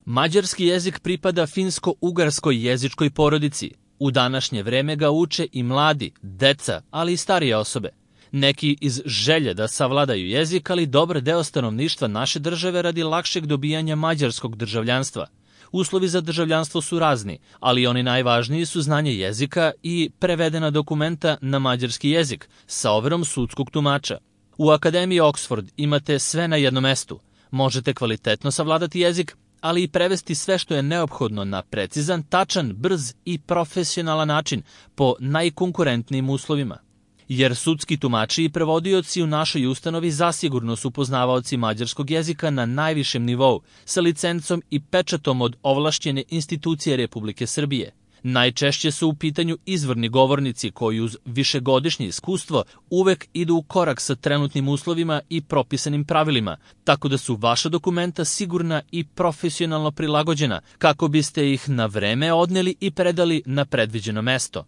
Mađarski jezik pripada finsko-ugarskoj jezičkoj porodici. U današnje vreme ga uče i mladi, deca, ali i starije osobe. Neki iz želje da savladaju jezik, ali dobar deo stanovništva naše države radi lakšeg dobijanja mađarskog državljanstva. Uslovi za državljanstvo su razni, ali oni najvažniji su znanje jezika i prevedena dokumenta na mađarski jezik sa overom sudskog tumača. U Akademiji Oxford imate sve na jednom mestu. Možete kvalitetno savladati jezik, ali i prevesti sve što je neophodno na precizan, tačan, brz i profesionalan način po najkonkurentnijim uslovima. Jer sudski tumači i prevodioci u našoj ustanovi zasigurno su poznavaoci mađarskog jezika na najvišem nivou, sa licencom i pečatom od ovlašćene institucije Republike Srbije. Najčešće su u pitanju izvorni govornici koji uz višegodišnje iskustvo uvek idu u korak sa trenutnim uslovima i propisanim pravilima, tako da su vaša dokumenta sigurna i profesionalno prilagođena kako biste ih na vreme odneli i predali na predviđeno mesto.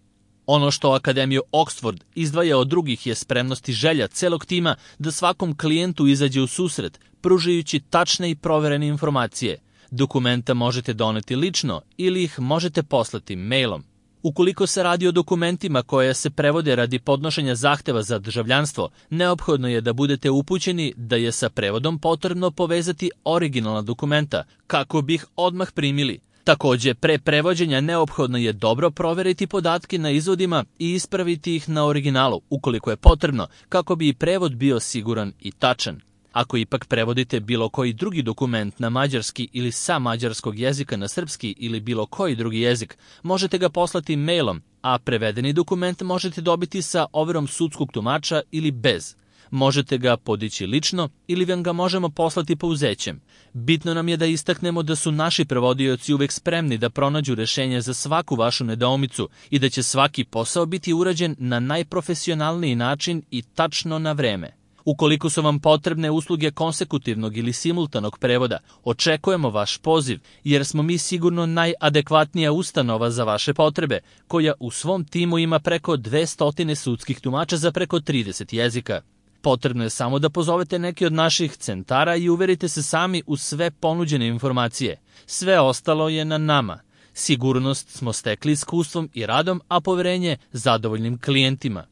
Ono što Akademiju Oxford izdvaja od drugih je spremnost i želja celog tima da svakom klijentu izađe u susret, pružajući tačne i proverene informacije. Dokumenta možete doneti lično ili ih možete poslati mailom. Ukoliko se radi o dokumentima koje se prevode radi podnošenja zahteva za državljanstvo, neophodno je da budete upućeni da je sa prevodom potrebno povezati originalna dokumenta kako bi ih odmah primili. Takođe, pre prevođenja neophodno je dobro proveriti podatke na izvodima i ispraviti ih na originalu, ukoliko je potrebno, kako bi i prevod bio siguran i tačan. Ako ipak prevodite bilo koji drugi dokument na mađarski ili sa mađarskog jezika na srpski ili bilo koji drugi jezik, možete ga poslati mailom, a prevedeni dokument možete dobiti sa overom sudskog tumača ili bez. Možete ga podići lično ili vam ga možemo poslati pouzećem. Bitno nam je da istaknemo da su naši prevodioci uvek spremni da pronađu rešenje za svaku vašu nedoumicu i da će svaki posao biti urađen na najprofesionalniji način i tačno na vreme. Ukoliko su vam potrebne usluge konsekutivnog ili simultanog prevoda, očekujemo vaš poziv, jer smo mi sigurno najadekvatnija ustanova za vaše potrebe, koja u svom timu ima preko 200 sudskih tumača za preko 30 jezika. Potrebno je samo da pozovete neki od naših centara i uverite se sami u sve ponuđene informacije. Sve ostalo je na nama. Sigurnost smo stekli iskustvom i radom, a poverenje zadovoljnim klijentima.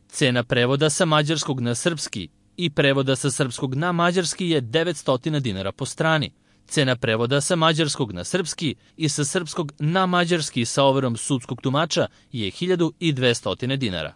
Cena prevoda sa mađarskog na srpski i prevoda sa srpskog na mađarski je 900 dinara po strani. Cena prevoda sa mađarskog na srpski i sa srpskog na mađarski sa overom sudskog tumača je 1200 dinara.